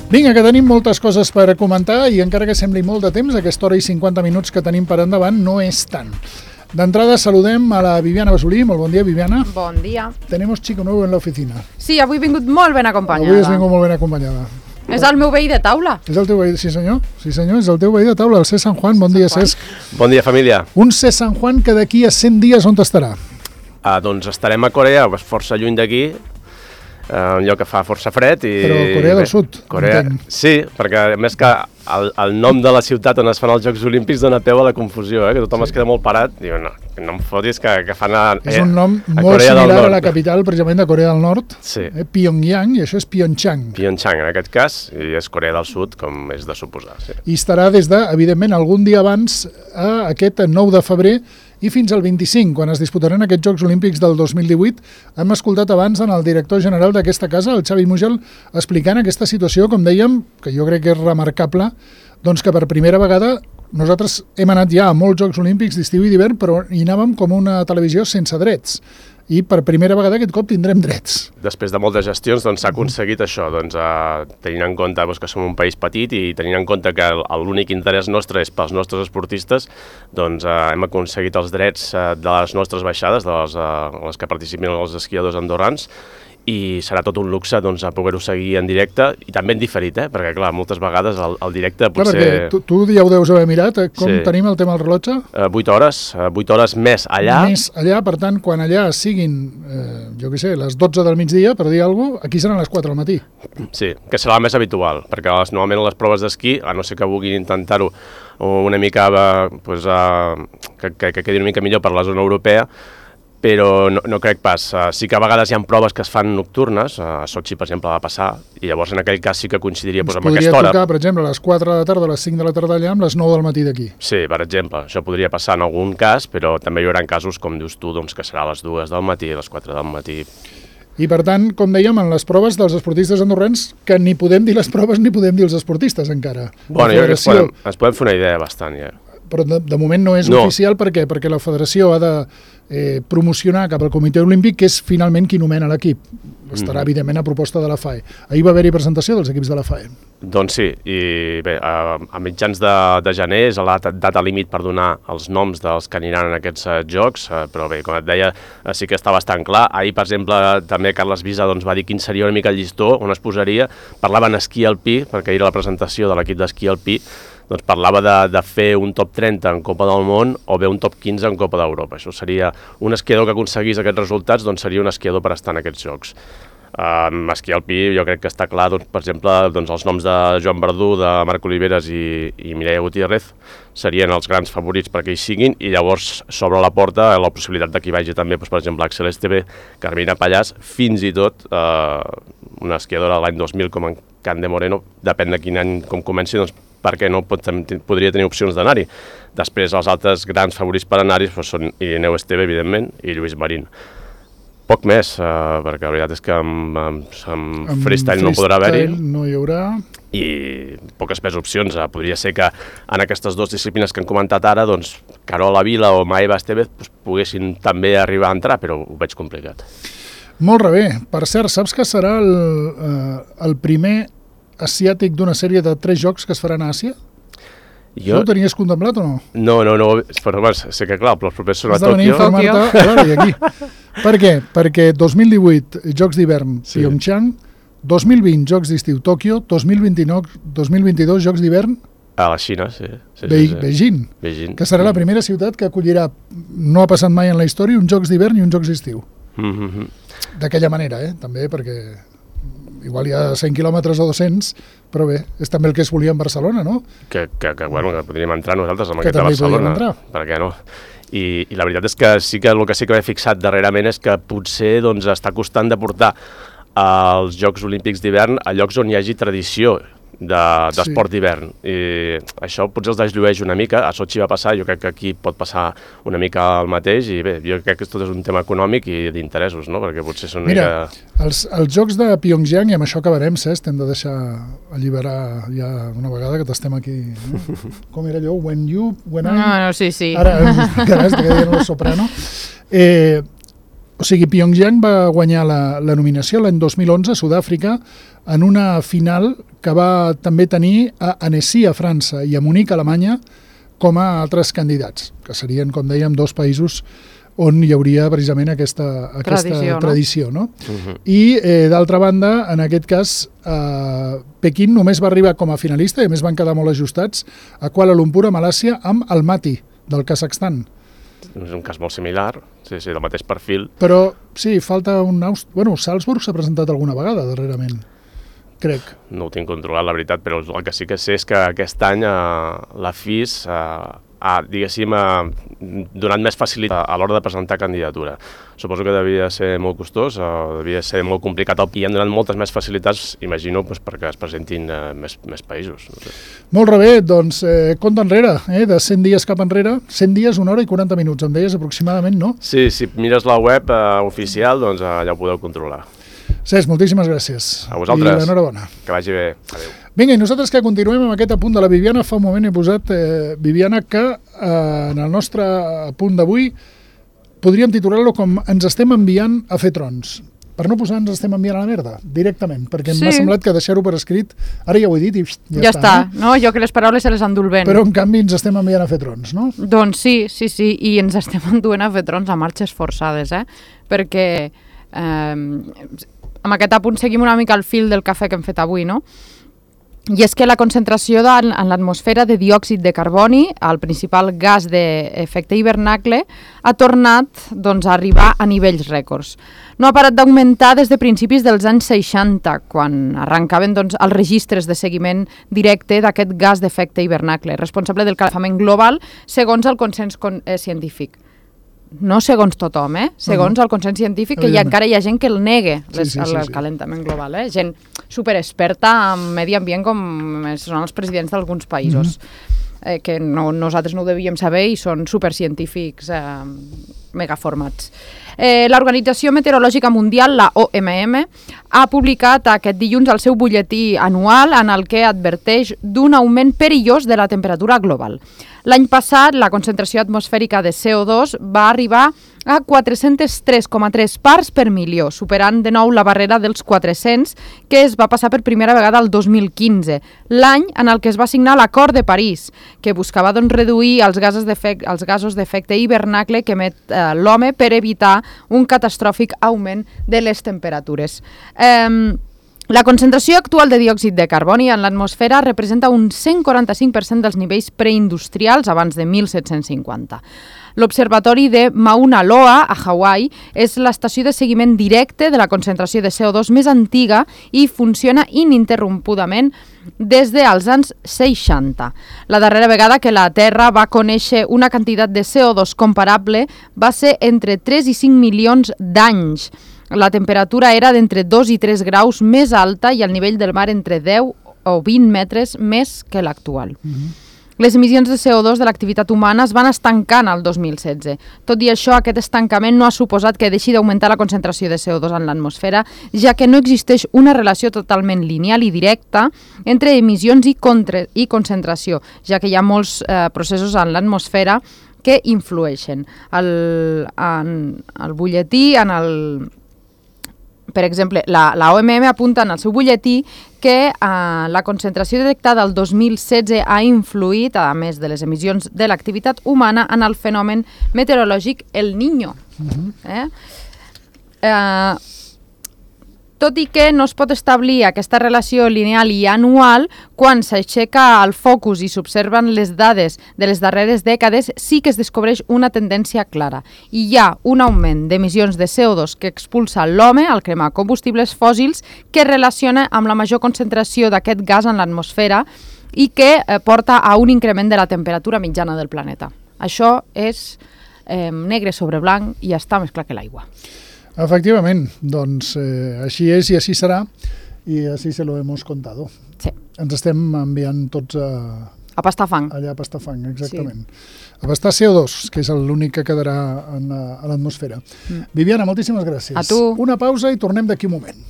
Vinga, que tenim moltes coses per comentar i encara que sembli molt de temps, aquesta hora i 50 minuts que tenim per endavant no és tant. D'entrada saludem a la Viviana Basolí. Molt bon dia, Viviana. Bon dia. Tenemos chico nuevo en la oficina. Sí, avui he vingut molt ben acompanyada. Avui has vingut molt ben acompanyada. És el meu veí de taula. És el teu veí, sí senyor, és el teu veí de taula, el C. San Juan. Bon dia, Cesc. Bon dia, família. Un C. San Juan que d'aquí a 100 dies on estarà? Doncs estarem a Corea, força lluny d'aquí, un lloc que fa força fred. Però Corea del Sud, entenc. Sí, perquè a més que el nom de la ciutat on es fan els Jocs Olímpics dona peu a la confusió, que tothom es queda molt parat. Diu, no em fotis que fan és un nom molt similar a la capital, precisament, de Corea del Nord, Pyongyang, i això és Pyeongchang. Pyeongchang, en aquest cas, i és Corea del Sud, com és de suposar. Sí. I estarà des de, evidentment, algun dia abans, a aquest 9 de febrer, i fins al 25, quan es disputaran aquests Jocs Olímpics del 2018. Hem escoltat abans en el director general d'aquesta casa, el Xavi Mugel, explicant aquesta situació, com dèiem, que jo crec que és remarcable, doncs que per primera vegada nosaltres hem anat ja a molts Jocs Olímpics d'estiu i d'hivern, però hi anàvem com una televisió sense drets. I per primera vegada aquest cop tindrem drets. Després de moltes gestions s'ha aconseguit això, tenint en compte que som un país petit i tenint en compte que l'únic interès nostre és pels nostres esportistes, hem aconseguit els drets de les nostres baixades, de les que participen els esquiadors andorrans, i serà tot un luxe a poder-ho seguir en directe i també en diferit, perquè clar, moltes vegades el directe potser... Clar, perquè tu ja ho deus haver mirat, com tenim el tema del rellotge? 8 hores més allà. Més allà, per tant, quan allà siguin, jo què sé, les 12 del migdia, per dir alguna cosa, aquí seran les 4 del matí. Sí, que serà el més habitual, perquè normalment les proves d'esquí, a no ser que vulguin intentar-ho una mica, que quedi una mica millor per la zona europea, però no crec pas. Sí que a vegades hi ha proves que es fan nocturnes, a Sochi, per exemple, va passar, i llavors en aquell cas sí que coincidiria amb aquesta hora. Podria tocar, per exemple, a les 4 de la tarda o a les 5 de la tarda allà amb les 9 del matí d'aquí. Sí, per exemple, això podria passar en algun cas, però també hi haurà casos, com dius tu, que serà a les 2 del matí, a les 4 del matí. I per tant, com dèiem, en les proves dels esportistes andorrans, que ni podem dir les proves ni podem dir els esportistes encara. Bueno, jo crec que ens podem fer una idea bastant, ja. Però de moment no és oficial perquè la federació ha de promocionar cap al Comitè Olímpic, que és finalment qui nomena l'equip. Estarà, evidentment, a proposta de la FAE. Ahir va haver-hi presentació dels equips de la FAE. Doncs sí, i bé, a mitjans de gener és la data límit per donar els noms dels que aniran en aquests jocs, però bé, com et deia, sí que està bastant clar. Ahir, per exemple, també Carles Visa va dir quin seria una mica el llistó, on es posaria. Parlaven esquí alpí, perquè ahir era la presentació de l'equip d'esquí alpí, doncs parlava de fer un top 30 en Copa del Món o bé un top 15 en Copa d'Europa. Això seria un esquiador que aconseguís aquests resultats, doncs seria un esquiador per estar en aquests jocs. Esquí alpí jo crec que està clar, per exemple, els noms de Joan Verdú, de Marc Oliveres i Mireia Gutiérrez serien els grans favorits perquè hi siguin, i llavors s'obre la porta la possibilitat que hi vagi també, per exemple, Axel Esteve, Carmina Pallàs, fins i tot una esquiadora de l'any 2000 com en Cande Moreno, depèn de quin any com comenci, doncs perquè no podria tenir opcions d'anar-hi. Després els altres grans favorits per anar-hi són Irineu Esteve, evidentment, i Lluís Marín. Poc més, perquè la veritat és que amb freestyle no podrà haver-hi. No hi haurà. I poques més opcions. Podria ser que en aquestes dues disciplines que hem comentat ara, doncs Carola Vila o Maeva Estevez poguessin també arribar a entrar, però ho veig complicat. Molt bé. Per cert, saps que serà el primer asiàtic d'una sèrie de 3 jocs que es faran a Àsia? Jo... Ho tenies contemplat o no? No, però sé que clar, però els propers són a Tòquio. Has de venir a informar-te, i aquí. Per què? Perquè 2018 Jocs d'hivern Pyeongchang, 2020 Jocs d'estiu Tòquio, 2022 Jocs d'hivern a la Xina, sí. Beijing, que serà la primera ciutat que acollirà, no ha passat mai en la història, uns Jocs d'hivern i uns Jocs d'estiu. D'aquella manera, també, perquè igual hi ha 100 quilòmetres o 200, però bé, és també el que es volia en Barcelona, no? Que podríem entrar nosaltres en aquest de Barcelona. Per què no? I la veritat és que sí que el que sí que m'he fixat darrerament és que potser està costant de portar els Jocs Olímpics d'hivern a llocs on hi hagi tradició d'esport d'hivern. I això potser els desllueix una mica. A Sochi va passar, jo crec que aquí pot passar una mica el mateix, i bé, jo crec que tot és un tema econòmic i d'interessos, no? Perquè potser són una mica... Mira, els Jocs de Pyeongchang, i amb això acabarem, Cesc, hem de deixar alliberar ja una vegada que t'estem aquí. No? Com era allò? When I... No, sí. Ara, carai, estic dient el soprano. O sigui, Pyeongchang va guanyar la nominació l'any 2011 a Sud-àfrica en una final que va també tenir a Annecy, a França, i a Munic, a Alemanya, com a altres candidats, que serien, com dèiem, 2 països on hi hauria precisament aquesta tradició, no? I, d'altra banda, en aquest cas, Pequín només va arribar com a finalista, i a més van quedar molt ajustats, a Kuala Lumpur, a Malàcia, amb Almaty, del Kazakhstan. És un cas molt similar, sí, del mateix perfil. Però, sí, falta un... Bueno, Salzburg s'ha presentat alguna vegada, darrerament, crec. No ho tinc controlat, la veritat, però el que sí que sé és que aquest any la FIS diguéssim, donat més facilitat a l'hora de presentar candidatura. Suposo que devia ser molt costós, devia ser molt complicat, i han donat moltes més facilitats, imagino, perquè es presentin més països. No sé. Molt bé, doncs, compte enrere, de 100 dies cap enrere, 100 dies, 1 hora i 40 minuts, em deies aproximadament, no? Sí, si mires la web oficial, doncs allà ho podeu controlar. Cesc, moltíssimes gràcies. A vosaltres. I enhorabona. Que vagi bé. Adéu. Vinga, i nosaltres que continuem amb aquest apunt de la Viviana, fa un moment he posat, Viviana, que en el nostre apunt d'avui podríem titular-lo com ens estem enviant a fer trons. Per no posar ens estem enviant a la merda, directament, perquè m'ha semblat que deixar-ho per escrit, ara ja ho he dit i ja està. No? Jo que les paraules se les endul ben. Però en canvi ens estem enviant a fer trons, no? Doncs sí, i ens estem enduent a fer trons a marxes forçades, perquè amb aquest apunt seguim una mica el fil del cafè que hem fet avui, no? I és que la concentració en l'atmosfera de diòxid de carboni, el principal gas d'efecte hivernacle, ha tornat a arribar a nivells rècords. No ha parat d'augmentar des de principis dels anys 60, quan arrencaven els registres de seguiment directe d'aquest gas d'efecte hivernacle, responsable del calefament global segons el consens científic. No segons tothom, segons el consens científic, que encara hi ha gent que el nega, el calentament global, gent superexperta en medi ambient com són els presidents d'alguns països, que nosaltres no ho devíem saber i són supercientífics megaformats. L'Organització Meteorològica Mundial, la OMM, ha publicat aquest dilluns el seu butlletí anual en el que adverteix d'un augment perillós de la temperatura global. L'any passat, la concentració atmosfèrica de CO2 va arribar a 403,3 parts per milió, superant de nou la barrera dels 400, que es va passar per primera vegada el 2015, l'any en el que es va signar l'Acord de París, que buscava reduir els gasos d'efecte hivernacle que emet l'home per evitar un catastròfic augment de les temperatures. La concentració actual de diòxid de carboni en l'atmosfera representa un 145% dels nivells preindustrials abans de 1750. L'Observatori de Mauna Loa, a Hawaii, és l'estació de seguiment directe de la concentració de CO2 més antiga i funciona ininterrompudament des dels anys 60. La darrera vegada que la Terra va conèixer una quantitat de CO2 comparable va ser entre 3 i 5 milions d'anys. La temperatura era d'entre 2 i 3 graus més alta i el nivell del mar entre 10 o 20 metres més que l'actual. Les emissions de CO2 de l'activitat humana es van estancant al 2016. Tot i això, aquest estancament no ha suposat que deixi d'augmentar la concentració de CO2 en l'atmosfera, ja que no existeix una relació totalment lineal i directa entre emissions i concentració, ja que hi ha molts processos en l'atmosfera que influeixen. En el butlletí, per exemple, la OMM apunta en el seu butlletí que la concentració detectada el 2016 ha influït, a més de les emissions de l'activitat humana, en el fenomen meteorològic El Niño. Tot i que no es pot establir aquesta relació lineal i anual, quan s'aixeca el focus i s'observen les dades de les darreres dècades, sí que es descobreix una tendència clara. I hi ha un augment d'emissions de CO2 que expulsa l'home al cremar combustibles fòssils que relaciona amb la major concentració d'aquest gas en l'atmosfera i que porta a un increment de la temperatura mitjana del planeta. Això és negre sobre blanc i està més clar que l'aigua. Efectivament, doncs així és i així serà i així se lo hemos contado. Sí. Ens estem enviant tots a pastar fang. Allà a pastar fang, exactament. Sí. A pastar CO2, que és l'únic que quedarà a l'atmosfera. Viviana, moltíssimes gràcies. A tu. Una pausa i tornem d'aquí un moment.